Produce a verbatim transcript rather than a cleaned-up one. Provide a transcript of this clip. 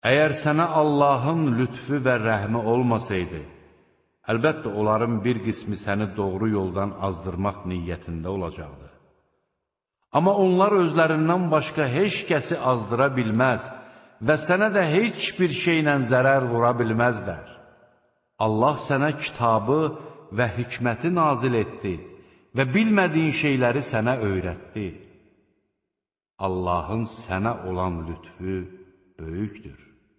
Əgər sənə Allahın lütfü və rəhmi olmasaydı, əlbəttə onların bir qismi səni doğru yoldan azdırmaq niyyətində olacaqdı. Amma onlar özlərindən başqa heç kəsi azdıra bilməz və sənə də heç bir şeylə zərər vura bilməzlər. Allah sənə kitabı və hikməti nazil etdi və bilmədiyin şeyləri sənə öyrətdi. Allahın sənə olan lütfü böyükdür.